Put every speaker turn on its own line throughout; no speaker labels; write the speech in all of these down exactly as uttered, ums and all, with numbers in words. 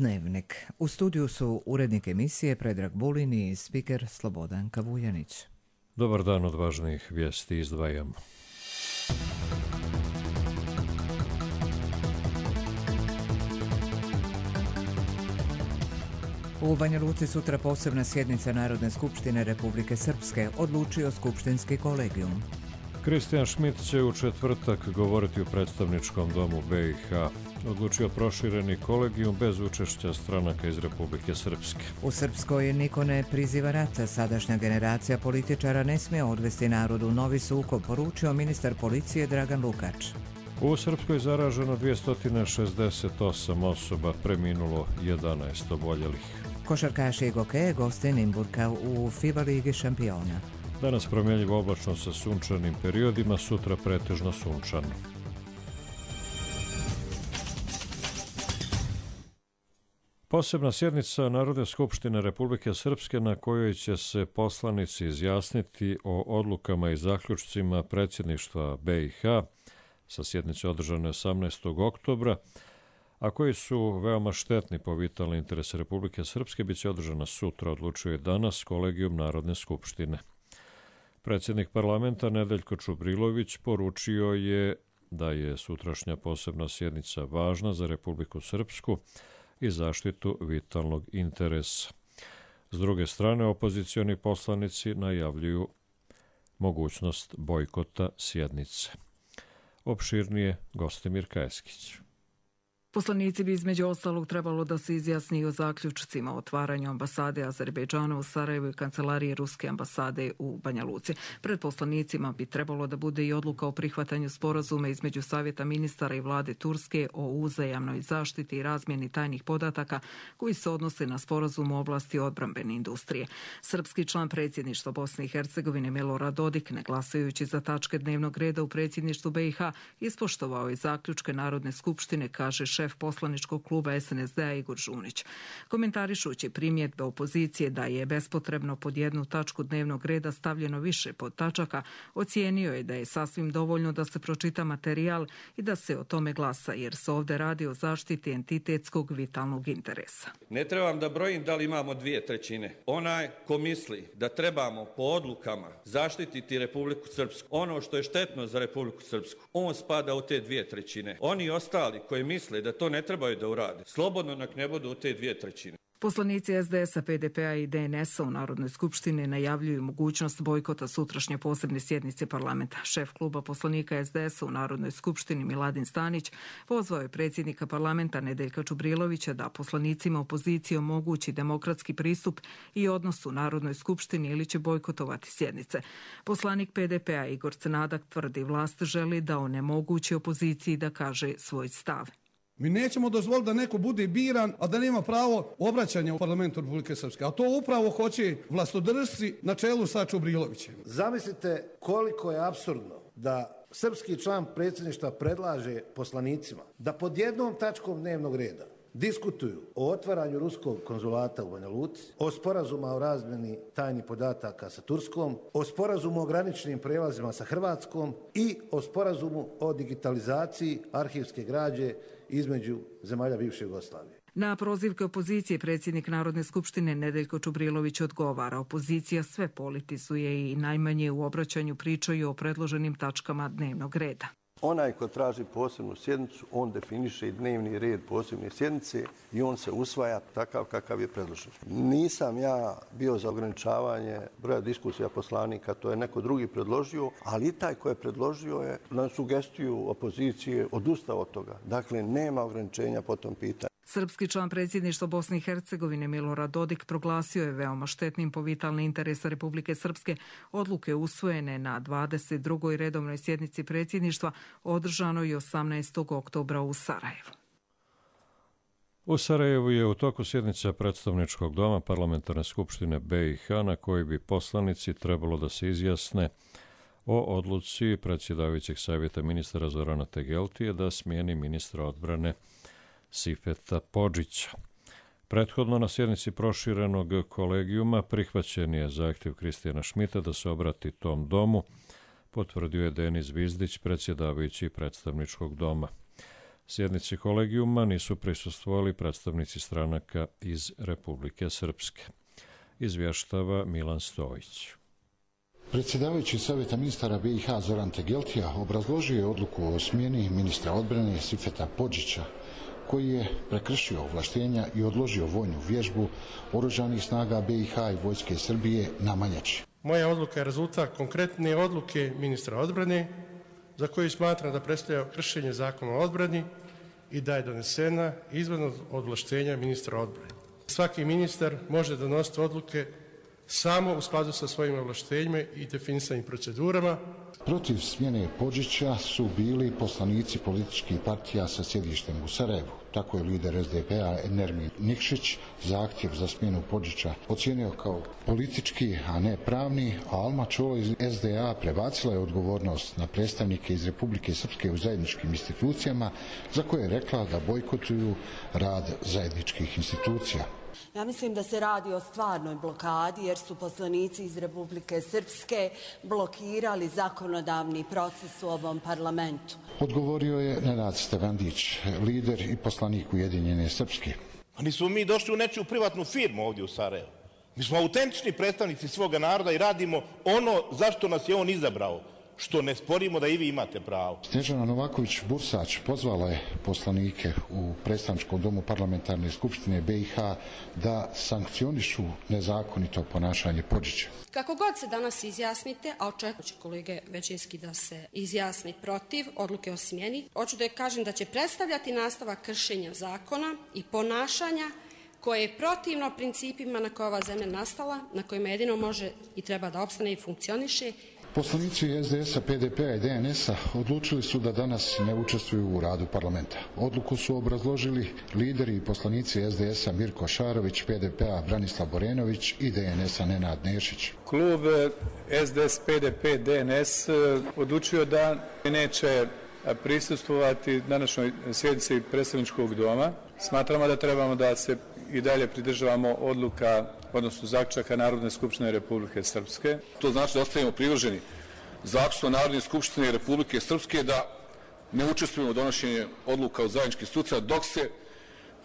Dnevnik. U studiju su urednik emisije Predrag Bulin i spiker Slobodan Kavujanić.
Dobar dan, od važnijih vijesti izdvajamo.
U Banja Luci sutra posebna sjednica Narodne skupštine Republike Srpske, odlučio skupštinski kolegijum.
Kristijan Šmit će u četvrtak govoriti u predstavničkom domu B i H. Odlučio prošireni kolegijum bez učešća stranaka iz Republike Srpske.
U Srpskoj niko ne priziva rata, sadašnja generacija političara ne smije odvesti narodu u novi sukob, poručio ministar policije Dragan Lukač.
U Srpskoj zaraženo dvjesto šezdeset osam osoba, preminulo jedanaest oboljelih.
Košarkaši i gokeje goste Nimburka u FIBA ligi šampiona.
Danas promjenjivo oblačno sa sunčanim periodima, sutra pretežno sunčano. Posebna sjednica Narodne skupštine Republike Srpske na kojoj će se poslanici izjasniti o odlukama i zaključcima predsjedništva B i H sa sjednice održane osamnaestog oktobra, a koji su veoma štetni po vitalne interese Republike Srpske, bit će održana sutra, odlučuje danas kolegijum Narodne skupštine. Predsjednik parlamenta Nedeljko Čubrilović poručio je da je sutrašnja posebna sjednica važna za Republiku Srpsku i zaštitu vitalnog interesa. S druge strane, opozicioni poslanici najavljuju mogućnost bojkota sjednice. Opširnije Gostimir Kajeskić.
Poslanici bi između ostalog trebalo da se izjasni o zaključcima o otvaranju ambasade Azerbejdžana u Sarajevu i kancelarije Ruske ambasade u Banja Luci. Pred poslanicima bi trebalo da bude i odluka o prihvatanju sporazuma između Savjeta ministara i vlade Turske o uzajamnoj zaštiti i razmjeni tajnih podataka koji se odnose na sporazum u oblasti odbrambene industrije. Srpski član predsjedništva Bosne i Hercegovine Milorad Dodik, ne glasajući za tačke dnevnog reda u predsjedništvu B i H, ispoštovao je zaključke Narodne skupštine, kaže šef poslaničkog kluba S N S D-a Igor Žunić. Komentarišući primjedbe opozicije da je bespotrebno pod jednu tačku dnevnog reda stavljeno više pod tačaka, ocijenio je da je sasvim dovoljno da se pročita materijal i da se o tome glasa, jer se ovdje radi o zaštiti entitetskog vitalnog interesa.
Ne trebam da brojim da li imamo dvije trećine. Onaj ko misli da trebamo po odlukama zaštititi Republiku Srpsku, ono što je štetno za Republiku Srpsku, on spada u te dvije trećine. Oni ostali koji misle da to ne trebaju da urade, slobodno nek ne budu u te dvije trećine.
Poslanici S D S-a, P D P-a i D N S-a u Narodnoj skupštini najavljuju mogućnost bojkota sutrašnje posebne sjednice parlamenta. Šef kluba poslanika S D S-a u Narodnoj skupštini Miladin Stanić pozvao je predsjednika parlamenta Nedeljka Čubrilovića da poslanicima opozicije omogući demokratski pristup i odnos u Narodnoj skupštini ili će bojkotovati sjednice. Poslanik P D P-a Igor Crnadak tvrdi vlast želi da onemogući opoziciji da kaže svoj stav.
Mi nećemo dozvoliti da neko bude biran, a da nema pravo obraćanja u parlamentu Republike Srpske. A to upravo hoće vlastodržci na čelu sa Čubrilovićem.
Zamislite koliko je apsurdno da srpski član predsjedništva predlaže poslanicima da pod jednom tačkom dnevnog reda diskutuju o otvaranju ruskog konzulata u Banja Luci, o sporazuma o razmjeni tajnih podataka sa Turskom, o sporazumu o graničnim prelazima sa Hrvatskom i o sporazumu o digitalizaciji arhivske građe između zemalja bivše Jugoslavije.
Na prozivke opozicije predsjednik Narodne skupštine Nedeljko Čubrilović odgovara. Opozicija sve politizuje i najmanje u obraćanju pričaju o predloženim tačkama dnevnog reda.
Onaj ko traži posebnu sjednicu, on definiše i dnevni red posebne sjednice i on se usvaja takav kakav je predložen. Nisam ja bio za ograničavanje broja diskusija poslanika, to je neko drugi predložio, ali i taj ko je predložio je na sugestiju opozicije odustao od toga. Dakle, nema ograničenja po tom pitanju.
Srpski član predsjedništva Bosne i Hercegovine Milorad Dodik proglasio je veoma štetnim po vitalne interese Republike Srpske odluke usvojene na dvadeset drugoj redovnoj sjednici predsjedništva održanoj osamnaestog oktobra u Sarajevu.
U Sarajevu je u toku sjednica predstavničkog doma Parlamentarne skupštine B i H na kojoj bi poslanici trebalo da se izjasne o odluci predsjedavajućeg savjeta ministara Zorana Tegeltije da smijeni ministra odbrane Sifeta Podžića. Prethodno na sjednici proširenog kolegijuma prihvaćen je zahtjev Kristijana Šmita da se obrati tom domu, potvrdio je Denis Vizdić, predsjedavajući predstavničkog doma. Sjednici kolegijuma nisu prisustvovali predstavnici stranaka iz Republike Srpske. Izvještava Milan Stojić.
Predsjedavajući Savjeta ministara B i H Zoran Tegeltija obrazložio je odluku o smjeni ministra odbrane Sifeta Podžića, koji je prekršio ovlaštenja i odložio vojnu vježbu Oružanih snaga B i H i Vojske Srbije na Manjači.
Moja odluka je rezultat konkretne odluke ministra odbrane, za koju smatram da predstavlja kršenje zakona o odbrani i da je donesena izvan ovlaštenja ministra odbrane. Svaki ministar može donositi odluke samo u skladu sa svojim ovlaštenjima i definisanim procedurama.
Protiv smjene Podžića su bili poslanici političkih partija sa sjedištem u Sarajevu. Tako je lider S D P-a Nermin Nikšić zahtjev za smjenu Podžića ocijenio kao politički, a ne pravni, a Alma Čolo iz S D A prebacila je odgovornost na predstavnike iz Republike Srpske u zajedničkim institucijama, za koje je rekla da bojkotuju rad zajedničkih institucija.
Ja mislim da se radi o stvarnoj blokadi jer su poslanici iz Republike Srpske blokirali zakonodavni proces u ovom parlamentu.
Odgovorio je Nenad Stevandić, lider i poslanik Ujedinjene Srpske.
Pa nismo mi došli u nečiju privatnu firmu ovdje u Sarajevu. Mi smo autentični predstavnici svoga naroda i radimo ono zašto nas je on izabrao, što ne sporimo da i vi imate pravo.
Snježana Novaković-Bursač pozvala je poslanike u predstavničkom domu parlamentarne skupštine B i H da sankcionišu nezakonito ponašanje Podžića.
Kako god se danas izjasnite, a očekujem će kolege većinski da se izjasni protiv odluke o smjeni, hoću da kažem da će predstavljati nastavak kršenja zakona i ponašanja koje je protivno principima na koje ova zemlja nastala, na kojima jedino može i treba da opstane i funkcioniše.
Poslanici S D S-a, P D P-a i D N S-a odlučili su da danas ne učestvuju u radu parlamenta. Odluku su obrazložili lideri i poslanici S D S-a Mirko Šarović, P D P-a Branislav Borenović i D N S-a Nenad Nešić.
Klub S D S, P D P, D N S odlučio da neće prisustvovati današnjoj sjednici predstavničkog doma. Smatramo da trebamo da se i dalje pridržavamo odluka, odnosno zaključaka Narodne skupštine Republike Srpske.
To znači da ostavimo privrženi zaključku Narodne skupštine Republike Srpske da ne učestvujemo u donošenju odluka od zajedničkih institucija dok se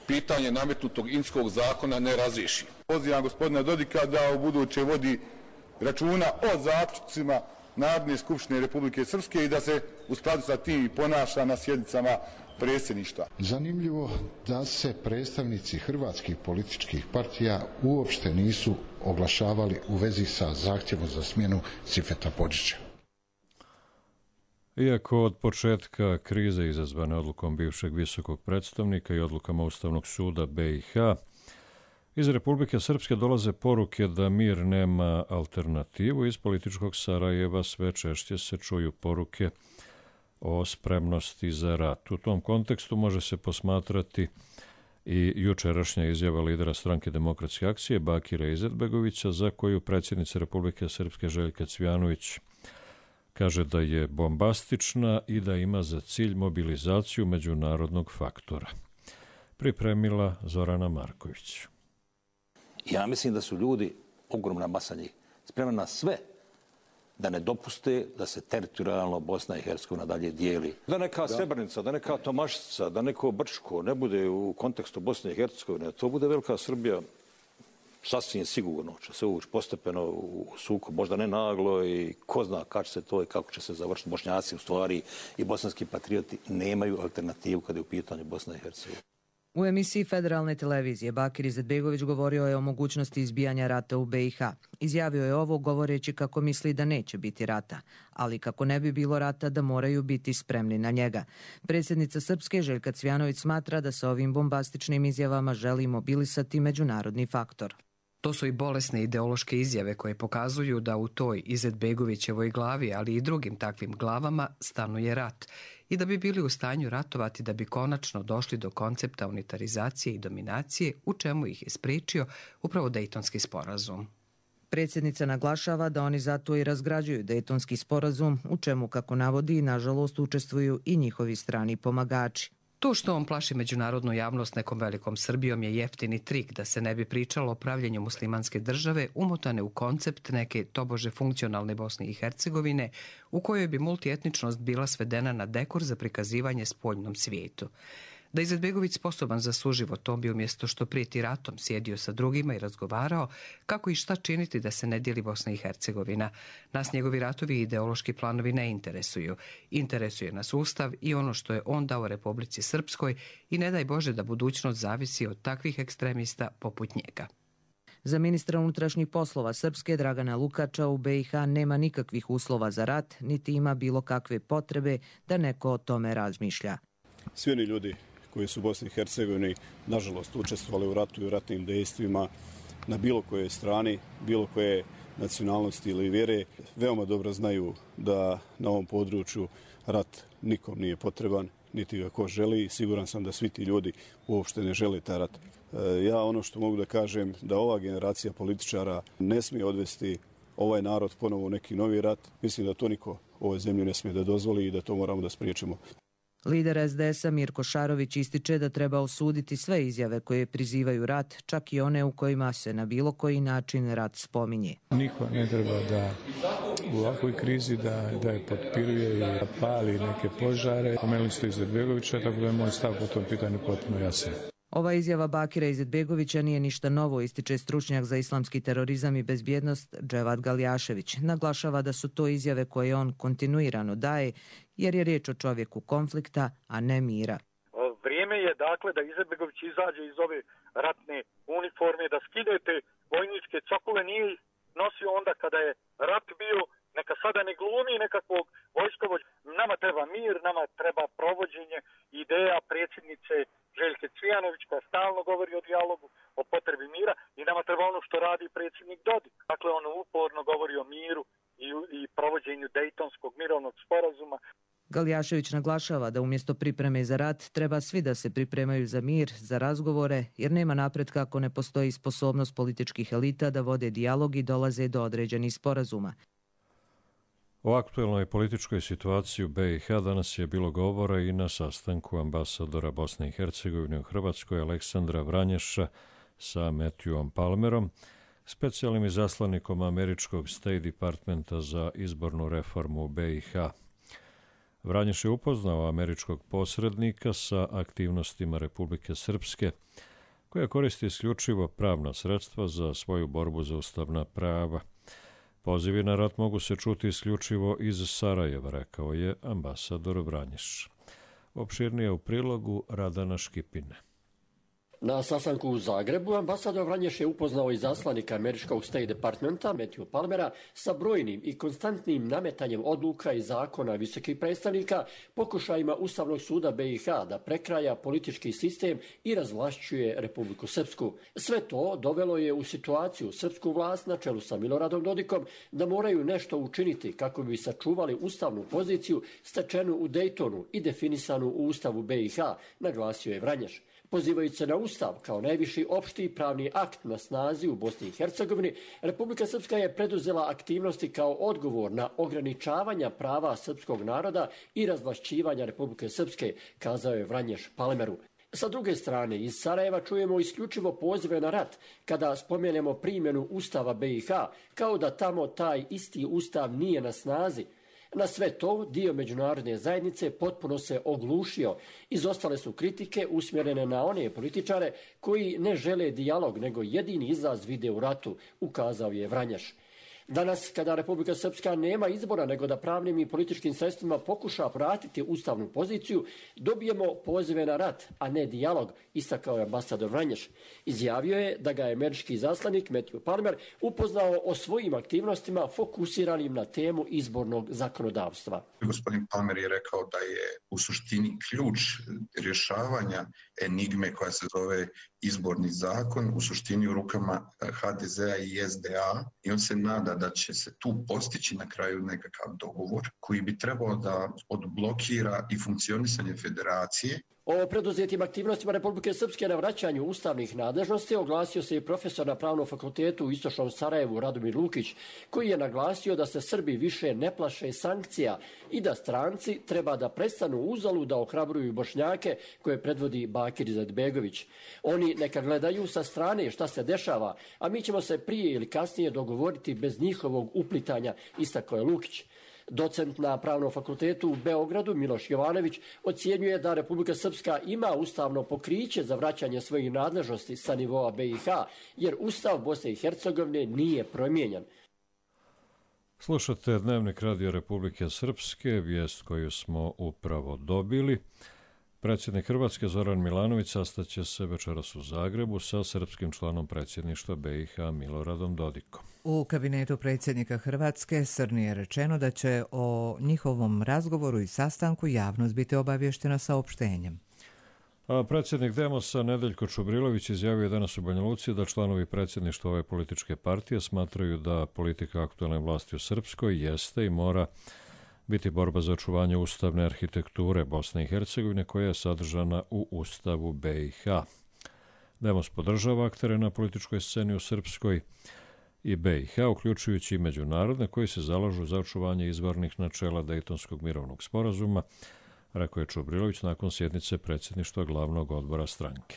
pitanje nametnutog Inskog zakona ne razriješi.
Pozivam gospodina Dodika da u buduće vodi računa o zaključcima Narodne skupštine Republike Srpske i da se u skladu sa tim ponaša na sjednicama predsjedništva.
Zanimljivo da se predstavnici hrvatskih političkih partija uopšte nisu oglašavali u vezi sa zahtjevom za smjenu Sifeta Podžića.
Iako od početka krize izazvane odlukom bivšeg visokog predstavnika i odlukama Ustavnog suda B i H, iz Republike Srpske dolaze poruke da mir nema alternativu. Iz političkog Sarajeva sve češće se čuju poruke o spremnosti za rat. U tom kontekstu može se posmatrati i jučerašnja izjava lidera Stranke demokratske akcije Bakira Izetbegovića, za koju predsjednica Republike Srpske Željka Cvijanović kaže da je bombastična i da ima za cilj mobilizaciju međunarodnog faktora. Pripremila Zorana Marković.
Ja mislim da su ljudi, ogromna masa njih, spremna na sve da ne dopuste da se teritorijalno Bosna i Hercegovina dalje dijeli. Da neka Srebrenica, da neka Tomašica, da neko Brčko ne bude u kontekstu Bosne i Hercegovine, to bude velika Srbija, sasvim sigurno će se ući postepeno u sukob, možda ne naglo i ko zna kako će se to i kako će se završiti. Bošnjaci u stvari i bosanski patrioti nemaju alternativu kada je u pitanju Bosna i Hercegovina.
U emisiji Federalne televizije Bakir Izetbegović govorio je o mogućnosti izbijanja rata u B i H. Izjavio je ovo govoreći kako misli da neće biti rata, ali kako ne bi bilo rata da moraju biti spremni na njega. Predsjednica Srpske Željka Cvijanović smatra da sa ovim bombastičnim izjavama želi mobilisati međunarodni faktor.
To su i bolesne ideološke izjave koje pokazuju da u toj Izetbegovićevoj glavi, ali i drugim takvim glavama, stanuje rat i da bi bili u stanju ratovati da bi konačno došli do koncepta unitarizacije i dominacije, u čemu ih je spriječio upravo Dejtonski sporazum.
Predsjednica naglašava da oni zato i razgrađuju Dejtonski sporazum, u čemu, kako navodi, nažalost učestvuju i njihovi strani pomagači.
To što on plaši međunarodnu javnost nekom velikom Srbijom je jeftini trik da se ne bi pričalo o pravljenju muslimanske države umotane u koncept neke tobože funkcionalne Bosne i Hercegovine u kojoj bi multietničnost bila svedena na dekor za prikazivanje spoljnom svijetu. Da je Izetbegović sposoban za suživot, on bi umjesto što prijeti ratom sjedio sa drugima i razgovarao kako i šta činiti da se ne dijeli Bosna i Hercegovina. Nas njegovi ratovi i ideološki planovi ne interesuju. Interesuje nas Ustav i ono što je on dao Republici Srpskoj i ne daj Bože da budućnost zavisi od takvih ekstremista poput njega.
Za ministra unutrašnjih poslova Srpske Dragana Lukača u be i ha nema nikakvih uslova za rat, niti ima bilo kakve potrebe da neko o tome razmišlja.
Svi oni ljudi koji su u Bosni i Hercegovini, nažalost, učestvovali u ratu i u ratnim dejstvima na bilo kojoj strani, bilo koje nacionalnosti ili vjere, veoma dobro znaju da na ovom području rat nikom nije potreban, niti ga ko želi. Siguran sam da svi ti ljudi uopšte ne žele taj rat. Ja ono što mogu da kažem, da ova generacija političara ne smije odvesti ovaj narod ponovo u neki novi rat. Mislim da to niko u ovoj zemlji ne smije da dozvoli i da to moramo da spriječimo.
Lider es de esa Mirko Šarović ističe da treba osuditi sve izjave koje prizivaju rat, čak i one u kojima se na bilo koji način rat spominje.
Niko ne treba da u ovakvoj krizi da, da je potpiruje i da pali neke požare. Pomenuli ste Izetbegovića, tako da je moj stav po tom pitanju potpuno jasan.
Ova izjava Bakira Izetbegovića nije ništa novo, ističe stručnjak za islamski terorizam i bezbjednost Dževad Galjašević. Naglašava da su to izjave koje on kontinuirano daje, jer je riječ o čovjeku konflikta, a ne mira.
Vrijeme je dakle da Izetbegović izađe iz ove ratne uniforme, da skidete vojničke cokule, nije nosio onda kada je rat bio, neka sada ne glumi nekakvog vojskovođa. Nama treba mir, nama treba provođenje ideja predsjednice Željke Cvijanović koja stalno govori o dijalogu, o potrebi mira i nama treba ono što radi predsjednik Dodik. Dakle, on uporno govori o miru i, i provođenju Dejtonskog mirovnog sporazuma.
Galjašević naglašava da umjesto pripreme za rat treba svi da se pripremaju za mir, za razgovore, jer nema napretka ako ne postoji sposobnost političkih elita da vode dijalog i dolaze do određenih sporazuma.
O aktuelnoj političkoj situaciji u be i ha danas je bilo govora i na sastanku ambasadora Bosne i Hercegovine u Hrvatskoj Aleksandra Vranješa sa Matthewom Palmerom, specijalnim izaslanikom američkog State Departmenta za izbornu reformu u be i ha. Vranješ je upoznao američkog posrednika sa aktivnostima Republike Srpske, koja koristi isključivo pravna sredstva za svoju borbu za ustavna prava. Pozivi na rat mogu se čuti isključivo iz Sarajeva, rekao je ambasador Vranješ. Opširnije u prilogu Radana Škipine.
Na sastanku u Zagrebu ambasador Vranješ je upoznao izaslanika američkog State Departmenta Matthew Palmera sa brojnim i konstantnim nametanjem odluka i zakona visokih predstavnika, pokušajima Ustavnog suda be i ha da prekraja politički sistem i razvlašćuje Republiku Srpsku. Sve to dovelo je u situaciju srpsku vlast na čelu sa Miloradom Dodikom da moraju nešto učiniti kako bi sačuvali ustavnu poziciju stečenu u Dejtonu i definisanu u Ustavu be i ha, naglasio je Vranješ. Pozivajući se na Ustav kao najviši opšti pravni akt na snazi u Bosni i Hercegovini, Republika Srpska je preduzela aktivnosti kao odgovor na ograničavanja prava srpskog naroda i razvlašćivanja Republike Srpske, kazao je Vranješ Palmeru. Sa druge strane, iz Sarajeva čujemo isključivo pozive na rat kada spomenemo primjenu Ustava be i ha, kao da tamo taj isti Ustav nije na snazi. Na sve to dio međunarodne zajednice potpuno se oglušio. Izostale su kritike usmjerene na one političare koji ne žele dijalog, nego jedini izlaz vide u ratu, ukazao je Vranješ. Danas, kada Republika Srpska nema izbora nego da pravnim i političkim sredstvima pokuša vratiti ustavnu poziciju, dobijemo pozive na rat, a ne dijalog, istakao je ambasador Vranješ. Izjavio je da ga je američki izaslanik Matthew Palmer upoznao o svojim aktivnostima fokusiranim na temu izbornog zakonodavstva.
Gospodin Palmer je rekao da je u suštini ključ rješavanja enigme koja se zove izborni zakon u suštini u rukama ha de zea i es de a i on se nada da će se tu postići na kraju nekakav dogovor koji bi trebao da odblokira i funkcionisanje federacije
O preduzetim aktivnostima Republike Srpske na vraćanju ustavnih nadležnosti oglasio se i profesor na Pravnom fakultetu u Istočnom Sarajevu Radomir Lukić, koji je naglasio da se Srbi više ne plaše sankcija i da stranci treba da prestanu uzalu da ohrabruju Bošnjake koje predvodi Bakir Izetbegović. Oni neka gledaju sa strane šta se dešava, a mi ćemo se prije ili kasnije dogovoriti bez njihovog uplitanja, istakao je Lukić. Docent na Pravnom fakultetu u Beogradu Miloš Jovanović ocjenjuje da Republika Srpska ima ustavno pokriće za vraćanje svojih nadležnosti sa nivoa B i H, jer Ustav Bosne i Hercegovine nije promijenjen.
Slušate Dnevnik Radio Republike Srpske, vijest koju smo upravo dobili. Predsjednik Hrvatske Zoran Milanović sastaće se večeras u Zagrebu sa srpskim članom predsjedništva B i H Miloradom Dodikom.
U kabinetu predsjednika Hrvatske Srni je rečeno da će o njihovom razgovoru i sastanku javnost biti obavještena saopštenjem.
A predsjednik Demosa Nedeljko Čubrilović izjavio je danas u Banja Luci da članovi predsjedništva ove političke partije smatraju da politika aktualne vlasti u Srpskoj jeste i mora biti borba za očuvanje ustavne arhitekture Bosne i Hercegovine koja je sadržana u Ustavu B i H. Demos podržava aktere na političkoj sceni u Srpskoj i B i H, uključujući i međunarodne koji se zalažu za očuvanje izvornih načela Dejtonskog mirovnog sporazuma, rekao je Čubrilović nakon sjednice predsjedništva glavnog odbora stranke.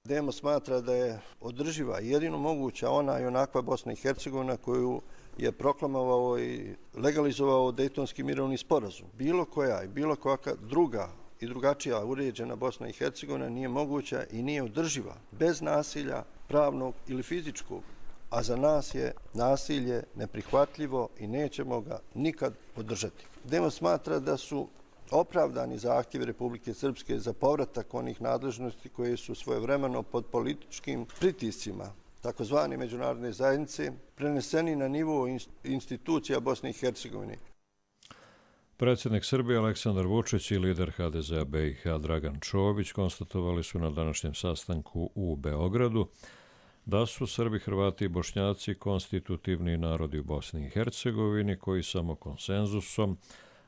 Demos smatra da je održiva i jedino moguća ona i onakva Bosna i Hercegovina koju je proklamovao i legalizovao Dejtonski mirovni sporazum. Bilo koja i bilo kakva druga i drugačija uređena Bosna i Hercegovina nije moguća i nije održiva bez nasilja pravnog ili fizičkog, a za nas je nasilje neprihvatljivo i nećemo ga nikad podržati. Demos smatra da su opravdani zahtjevi Republike Srpske za povratak onih nadležnosti koje su svojevremeno pod političkim pritiscima takozvane međunarodne zajednice preneseni na nivo institucija Bosne i Hercegovine.
Predsjednik Srbije Aleksandar Vučić i lider H D Z-a B i H Dragan Čović konstatovali su na današnjem sastanku u Beogradu da su Srbi, Hrvati i Bošnjaci konstitutivni narodi u Bosni i Hercegovini koji samo konsenzusom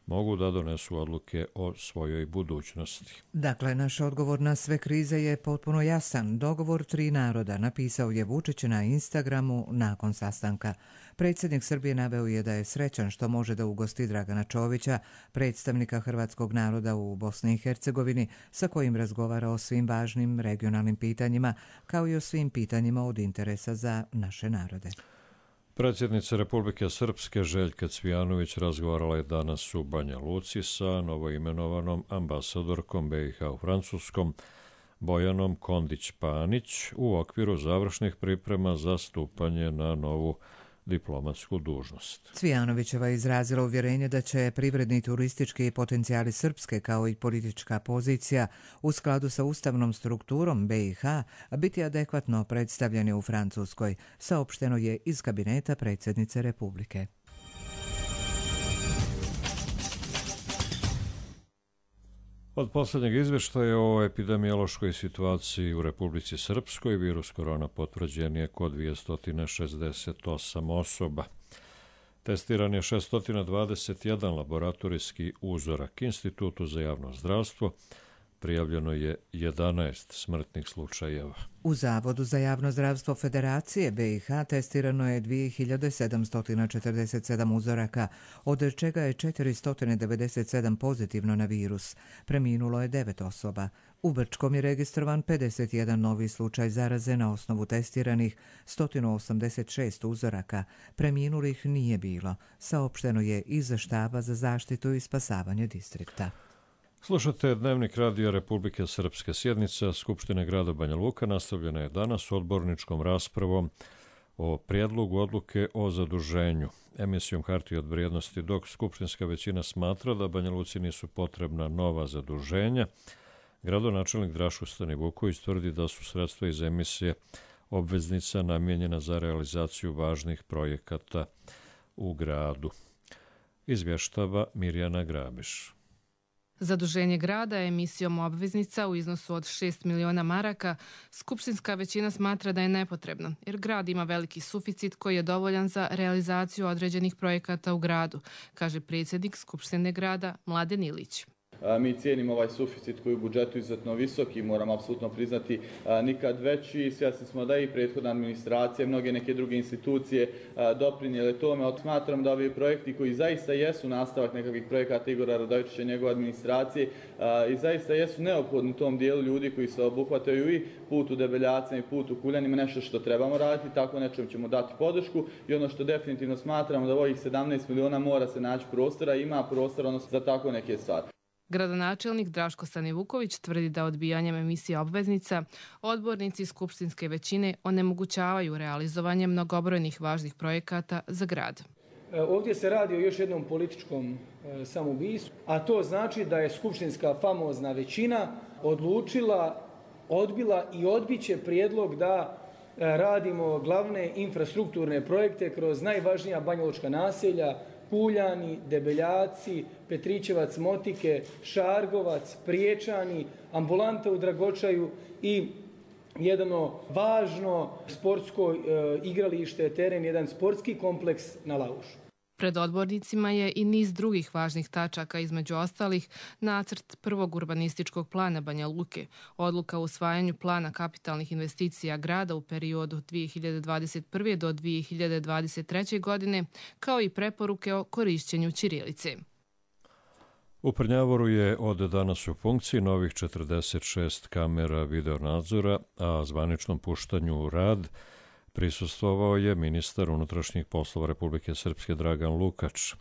mogu da donesu odluke o svojoj budućnosti.
Dakle, naš odgovor na sve krize je potpuno jasan. Dogovor tri naroda, napisao je Vučić na Instagramu nakon sastanka. Predsjednik Srbije naveo je da je srećan što može da ugosti Dragana Čovića, predstavnika hrvatskog naroda u Bosni i Hercegovini, sa kojim razgovara o svim važnim regionalnim pitanjima, kao i o svim pitanjima od interesa za naše narode.
Predsjednica Republike Srpske Željka Cvijanović razgovarala je danas u Banja Luci sa novoimenovanom ambasadorkom B i H u Francuskom Bojanom Kondić-Panić u okviru završnih priprema za stupanje na novu diplomatsku dužnost.
Cvijanovićeva je izrazila uvjerenje da će privredni i turistički potencijali Srpske kao i politička pozicija u skladu sa ustavnom strukturom B i H biti adekvatno predstavljeni u Francuskoj, saopšteno je iz kabineta predsjednice Republike.
Od posljednjeg izvještaja o epidemiološkoj situaciji u Republici Srpskoj virus korona potvrđen je kod dvjesto šezdeset osam osoba. Testiran je šesto dvadeset jedan laboratorijski uzorak. Institutu za javno zdravstvo prijavljeno je jedanaest smrtnih slučajeva.
U Zavodu za javno zdravstvo Federacije B i H testirano je dvije hiljade sedamsto četrdeset sedam uzoraka, od čega je četiristo devedeset sedam pozitivno na virus. Preminulo je devet osoba. U Brčkom je registrovan pedeset jedan novi slučaj zaraze na osnovu testiranih sto osamdeset šest uzoraka. Preminulih nije bilo, saopšteno je iz Štaba za zaštitu i spasavanje distrikta.
Slušate Dnevnik Radio Republike Srpske. Sjednica Skupštine grada Banja Luka nastavljena je danas odborničkom raspravom o prijedlogu odluke o zaduženju emisijom hartije od vrijednosti, dok skupštinska većina smatra da Banja Luci nisu potrebna nova zaduženja. Gradonačelnik Draško Stanivuković tvrdi da su sredstva iz emisije obveznica namijenjena za realizaciju važnih projekata u gradu. Izvještava Mirjana Grabiš.
Zaduženje grada emisijom obveznica u iznosu od šest miliona maraka skupštinska većina smatra da je nepotrebno, jer grad ima veliki suficit koji je dovoljan za realizaciju određenih projekata u gradu, kaže predsjednik Skupštine grada Mladen Ilić.
Mi cijenimo ovaj suficit koji je u budžetu izuzetno visok i moramo apsolutno priznati nikad veći. Svjesni smo da i prethodna administracija, mnoge neke druge institucije doprinijele tome. Smatram da ovi projekti koji zaista jesu nastavak nekakvih projekata Igora Radojičića i njegove administracije i zaista jesu neophodni tom dijelu ljudi koji se obuhvataju i put u Debeljacima i put u Kuljanima, nešto što trebamo raditi, tako nečem ćemo dati podršku i ono što definitivno smatramo da ovih sedamnaest miliona mora se naći prostora, ima prostora odnosno za tako neke stvari.
Gradonačelnik Draško Stanivuković tvrdi da odbijanjem emisije obveznica odbornici skupštinske većine onemogućavaju realizovanje mnogobrojnih važnih projekata za grad.
Ovdje se radi o još jednom političkom samoubistvu, a to znači da je skupštinska famozna većina odlučila, odbila i odbiće prijedlog da radimo glavne infrastrukturne projekte kroz najvažnija banjalučka naselja, Puljani, Debeljaci, Petrićevac, Motike, Šargovac, Priječani, ambulanta u Dragočaju i jedno važno sportsko e, igralište, teren, jedan sportski kompleks na Laušu.
Pred odbornicima je i niz drugih važnih tačaka, između ostalih nacrt prvog urbanističkog plana Banja Luke, odluka o usvajanju plana kapitalnih investicija grada u periodu dvije hiljade dvadeset prve do dvije hiljade dvadeset treće. godine, kao i preporuke o korišćenju ćirilice.
U Prnjavoru je od danas u funkciji novih četrdeset šest kamera videonadzora, a zvaničnom puštanju u rad prisustvovao je ministar unutrašnjih poslova Republike Srpske Dragan Lukač.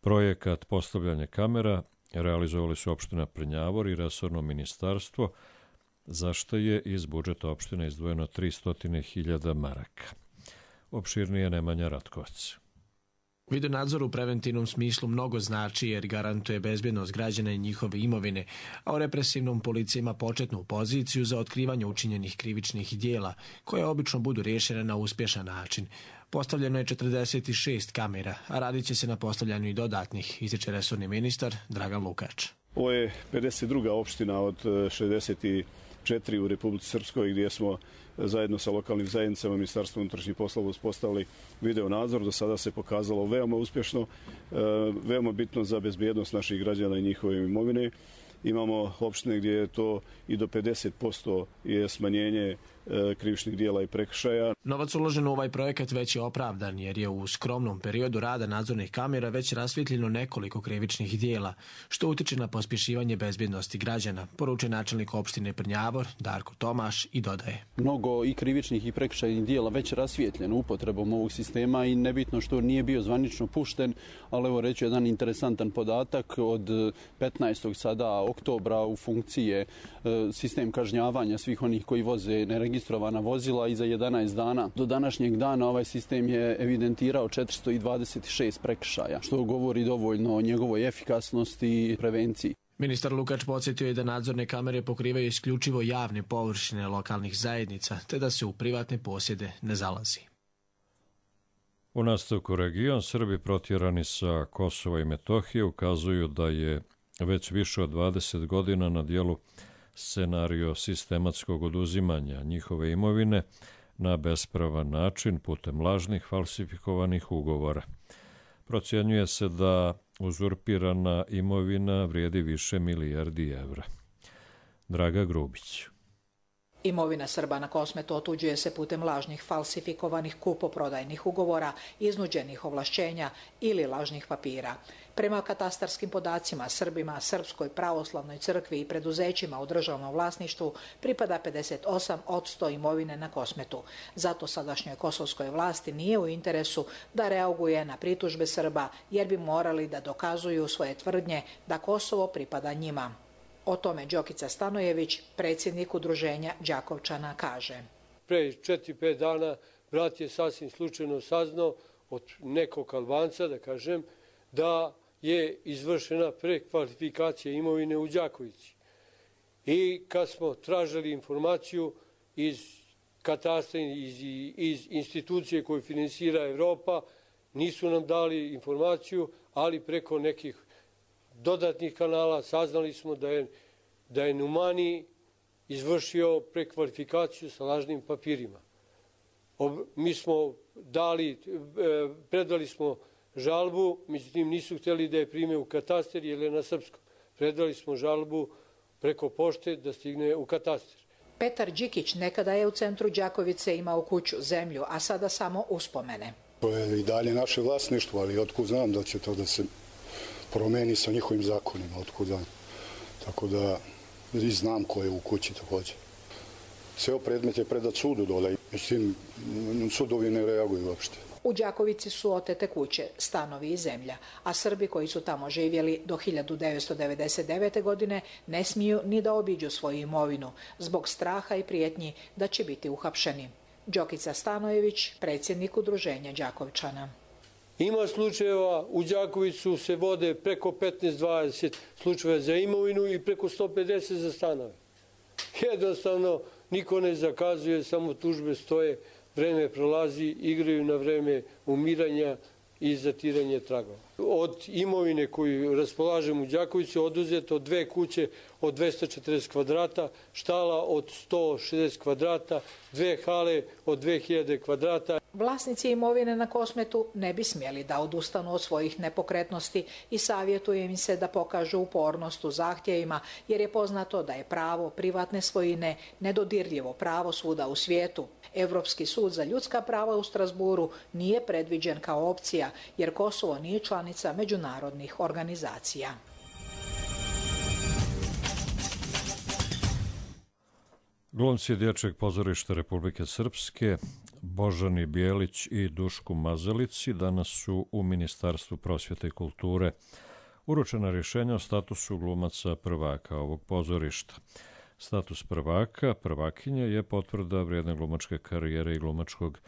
Projekat postavljanja kamera realizovali su opština Prnjavor i resorno ministarstvo, za što je iz budžeta opštine izdvojeno tristo hiljada maraka. Opširnije Nemanja Ratkovac.
Videonadzor u preventivnom smislu mnogo znači jer garantuje bezbjednost građana i njihove imovine, a u represivnom policija ima početnu poziciju za otkrivanje učinjenih krivičnih dijela, koje obično budu rješene na uspješan način. Postavljeno je četrdeset šest kamera, a radit će se na postavljanju i dodatnih, ističe resorni ministar Dragan Lukač.
Ovo je pedeset druga opština od šezdeset četiri u Republici Srpskoj gdje smo zajedno sa lokalnim zajednicama Ministarstva unutrašnjih poslova uspostavili video nadzor. Do sada se pokazalo veoma uspješno, veoma bitno za bezbjednost naših građana i njihove imovine. Imamo opštine gdje je to i do pedeset posto je smanjenje krivičnih dijela i prekršaja.
Novac uložen u ovaj projekat već je opravdan jer je u skromnom periodu rada nadzornih kamera već rasvjetljeno nekoliko krivičnih dijela, što utiče na pospješivanje bezbjednosti građana, poručuje načelnik opštine Prnjavor Darko Tomaš i dodaje.
Mnogo i krivičnih i prekršajnih dijela već rasvjetljeno upotrebom ovog sistema i nebitno što nije bio zvanično pušten, ali evo reći jedan interesantan podatak, od petnaestog sada oktobra u funkciji je sistem kažnjavanja svih onih koji voze neregistrovane registrovana vozila i za jedanaest dana. Do današnjeg dana ovaj sistem je evidentirao četiristo dvadeset šest prekršaja, što govori dovoljno o njegovoj efikasnosti i prevenciji.
Ministar Lukač podsjetio je da nadzorne kamere pokrivaju isključivo javne površine lokalnih zajednica, te da se u privatne posjede ne zalazi.
U nastavku region Srbi protjerani sa Kosova i Metohije ukazuju da je već više od dvadeset godina na dijelu scenario sistematskog oduzimanja njihove imovine na bespravan način putem lažnih falsifikovanih ugovora. Procjenjuje se da uzurpirana imovina vrijedi više milijardi evra. Draga Grubić.
Imovina Srba na Kosmetu otuđuje se putem lažnih falsifikovanih kupoprodajnih ugovora, iznuđenih ovlašćenja ili lažnih papira. Prema katastarskim podacima Srbima, Srpskoj pravoslavnoj crkvi i preduzećima u državnom vlasništvu pripada pedeset osam posto imovine na Kosmetu. Zato sadašnjoj kosovskoj vlasti nije u interesu da reaguje na pritužbe Srba jer bi morali da dokazuju svoje tvrdnje da Kosovo pripada njima. O tome Đokica Stanojević, predsjednik udruženja Đakovčana, kaže.
Pre četiri pet dana brat je sasvim slučajno saznao od nekog Albanca, da kažem, da je izvršena prekvalifikacija imovine u Đakovici. I kad smo tražili informaciju iz katastra, iz, iz institucije koju finansira Evropa, nisu nam dali informaciju, ali preko nekih dodatnih kanala saznali smo da je, da je Numani izvršio prekvalifikaciju sa lažnim papirima. Ob, mi smo dali, predali smo žalbu, međutim nisu htjeli da je prime u katastar jer je na srpskom. predali smo žalbu preko pošte da stigne u katastar.
Petar Đikić nekada je u centru Đakovice imao kuću, zemlju, a sada samo uspomene.
To je i dalje naše vlasništvo, ali otkud znam da će to da se promeni sa njihovim zakonima, otkud znam. Tako da i znam ko je u kući također. Ceo predmet je predat sudu dole, međutim sudovi ne reaguju uopšte.
U Đakovici su otete kuće, stanovi i zemlja, a Srbi koji su tamo živjeli do hiljadu devetsto devedeset devete. godine ne smiju ni da obiđu svoju imovinu zbog straha i prijetnji da će biti uhapšeni. Đokica Stanojević, predsjednik Udruženja Đakovčana.
Ima slučajeva, u Đakovicu se vode preko petnaest dvadeset slučajeva za imovinu i preko sto pedeset za stanove. Jednostavno, niko ne zakazuje, samo tužbe stoje, vreme prolazi, igraju na vreme umiranja i zatiranje tragova. Od imovine koju raspolažemo u Đakovici oduzeto dve kuće od dvesta četrdeset kvadrata, štala od sto šezdeset kvadrata, dve hale od dve hiljade kvadrata.
Vlasnici imovine na Kosmetu ne bi smjeli da odustanu od svojih nepokretnosti i savjetuje im se da pokažu upornost u zahtjevima, jer je poznato da je pravo privatne svojine nedodirljivo pravo svuda u svijetu. Evropski sud za ljudska prava u Strasburu nije predviđen kao opcija, jer Kosovo nije članica međunarodnih organizacija.
Glumci Dječjeg pozorišta Republike Srpske Božani Bijelić i Duško Mazalici danas su u Ministarstvu prosvjete i kulture. Uručena rješenja o statusu glumaca prvaka ovog pozorišta. Status prvaka, prvakinje je potvrda vrijedne glumačke karijere i glumačkog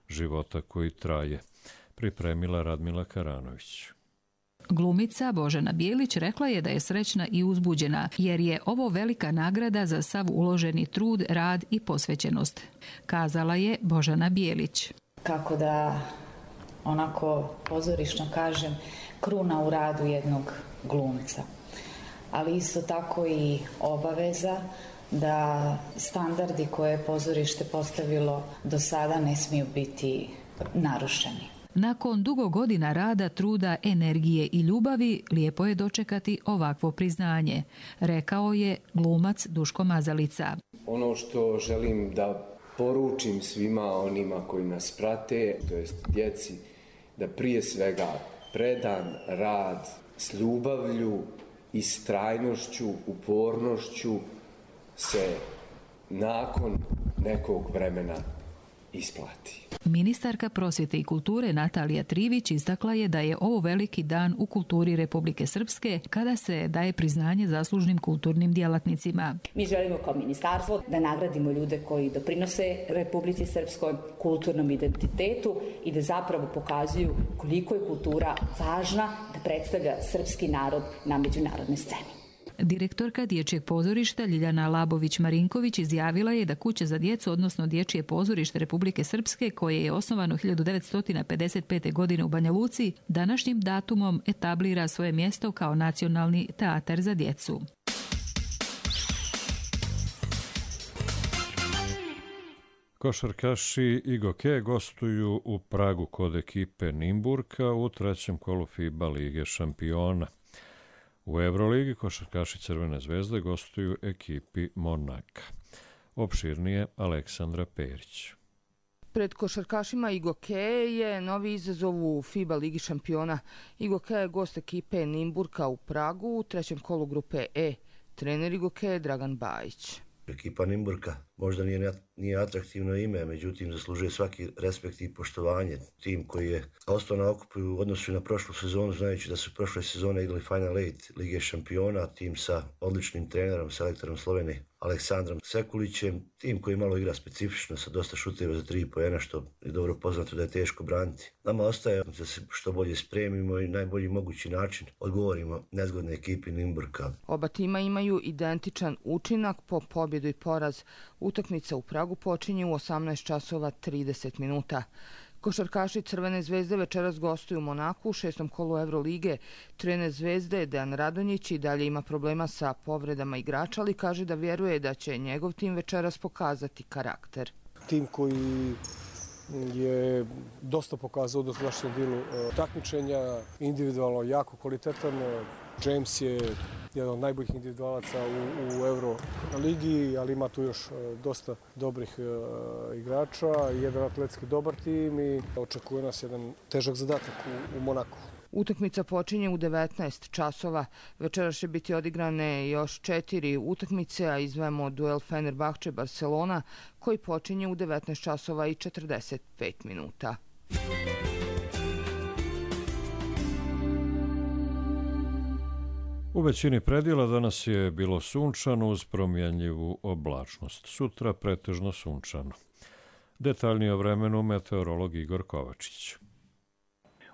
života koji traje. Pripremila Radmila Karanović.
Glumica Božana Bijelić rekla je da je srećna i uzbuđena, jer je ovo velika nagrada za sav uloženi trud, rad i posvećenost. Kazala je Božana Bijelić.
Kako da, onako pozorišno kažem, kruna u radu jednog glumca. Ali isto tako i obaveza da standardi koje je pozorište postavilo do sada ne smiju biti narušeni.
Nakon dugo godina rada, truda, energije i ljubavi, lijepo je dočekati ovakvo priznanje, rekao je glumac Duško Mazalica.
Ono što želim da poručim svima onima koji nas prate, to jest djeci, da prije svega predan rad s ljubavlju, istrajnošću, upornošću se nakon nekog vremena isplati.
Ministarka prosvjete i kulture Natalija Trivić istakla je da je ovo veliki dan u kulturi Republike Srpske kada se daje priznanje zaslužnim kulturnim djelatnicima.
Mi želimo kao ministarstvo da nagradimo ljude koji doprinose Republici Srpskoj, kulturnom identitetu i da zapravo pokazuju koliko je kultura važna da predstavlja srpski narod na međunarodnoj sceni.
Direktorka Dječjeg pozorišta Ljiljana Labović-Marinković izjavila je da Kuća za djecu, odnosno Dječje pozorište Republike Srpske, koje je osnovano hiljadu devetsto pedeset pete. godine u Banja Luci, današnjim datumom etablira svoje mjesto kao nacionalni teatar za djecu.
Košarkaši Igoke gostuju u Pragu kod ekipe Nimburka u trećem kolu FIBA Lige šampiona. U Euroligi košarkaši Crvene zvezde gostuju ekipi Monaka. Opširnije Aleksandra Perić.
Pred košarkašima Igoke je novi izazov u FIBA Ligi šampiona. Igoke je gost ekipe Nimburka u Pragu u trećem kolu grupe E. Trener Igoke je Dragan Bajić.
Ekipa Nimburka možda nije, nije atraktivno ime, međutim zaslužuje svaki respekt i poštovanje. Tim koji je ostao na okupu u odnosu na prošlu sezonu, znajući da su prošle sezone igrali Final Eight Lige šampiona, tim sa odličnim trenerom, selektorom Slovenije Aleksandrom Sekulićem, tim koji malo igra specifično sa dosta šuteva za tri poena, što je dobro poznato da je teško braniti. Nama ostaje da se što bolje spremimo i najbolji mogući način odgovorimo nezgodne ekipi Nimburka.
Oba tima imaju identičan učinak po pobjedu i poraz. Utakmica u Pragu počinje u osamnaest časova trideset minuta. Košarkaši Crvene zvezde večeras gostuju u Monaku u šestom kolu Evrolige. Trener Zvezde Dejan Radonjić i dalje ima problema sa povredama igrača, ali kaže da vjeruje da će njegov tim večeras pokazati karakter.
Tim koji je dosta pokazao u dosadašnjem dijelu takmičenja, individualno jako kvalitetan. James je jedan od najboljih individualaca u, u Euro ligi, ali ima tu još dosta dobrih uh, igrača, jedan atletski dobar tim i očekuje nas jedan težak zadatak u, u Monaku.
Utakmica počinje u devetnaest časova. Večeras će biti odigrane još četiri utakmice, a izdvajamo duel Fenerbahče Barcelona koji počinje u devetnaest časova i četrdeset pet minuta.
U većini predjela danas je bilo sunčano uz promjenjivu oblačnost. Sutra pretežno sunčano. Detaljnije o vremenu meteorolog Igor Kovačić.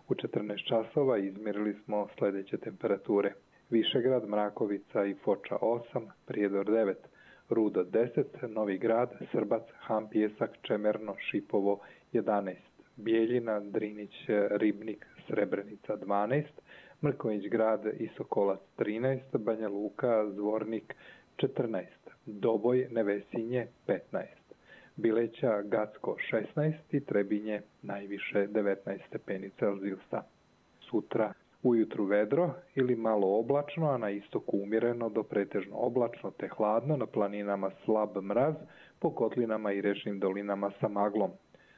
U četrnaest časova izmjerili smo sljedeće temperature. Višegrad, Mrakovica i Foča osam, Prijedor devet, Rudo deset, Novi Grad, Srbac, Han Pijesak, Čemerno, Šipovo jedanaest, Bijeljina, Drinić, Ribnik, Srebrenica dvanaest, Mrkonjić Grad i Sokolac trinaest, Banja Luka, Zvornik četrnaest, Doboj, Nevesinje petnaest, Bileća, Gacko šesnaest i Trebinje najviše devetnaest stepeni Celzijusa. Sutra ujutru vedro ili malo oblačno, a na istoku umjereno do pretežno oblačno te hladno, na planinama slab mraz, po kotlinama i rečnim dolinama sa maglom.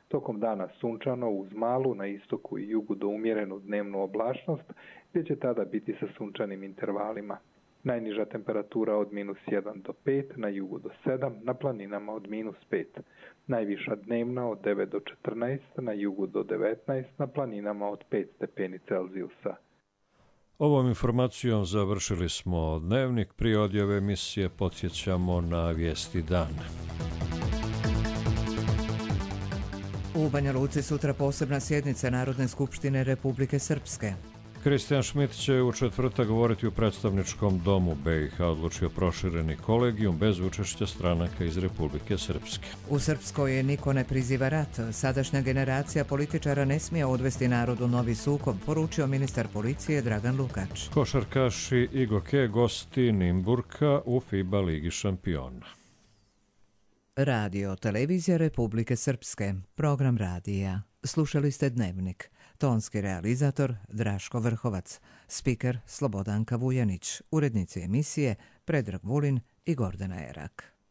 Tokom dana sunčano uz malu, na istoku i jugu do umjerenu dnevnu oblačnost, gdje će tada biti sa sunčanim intervalima. Najniža temperatura od minus jedan do pet, na jugu do sedam, na planinama od minus pet. Najviša dnevna od devet do četrnaest, na jugu do devetnaest, na planinama od pet stepeni Celzijusa.
Ovom informacijom završili smo dnevnik. Prije odjave emisije podsjećamo na vijesti dana.
U Banja Luci sutra posebna sjednica Narodne skupštine Republike Srpske.
Kristijan Šmit će u četvrtak govoriti u predstavničkom domu be i ha, odlučio prošireni kolegijum bez učešća stranaka iz Republike Srpske.
U Srpskoj niko ne priziva rat. Sadašnja generacija političara ne smije odvesti narodu novi sukob, poručio ministar policije Dragan Lukač.
Košarkaši Igoke gosti Nimburka u FIBA Ligi šampiona.
Radio Televizija Republike Srpske. Program radija. Slušali ste Dnevnik. Tonski realizator Draško Vrhovac. Spiker Slobodanka Vujanić. Urednici emisije Predrag Vulin i Gordana Erak.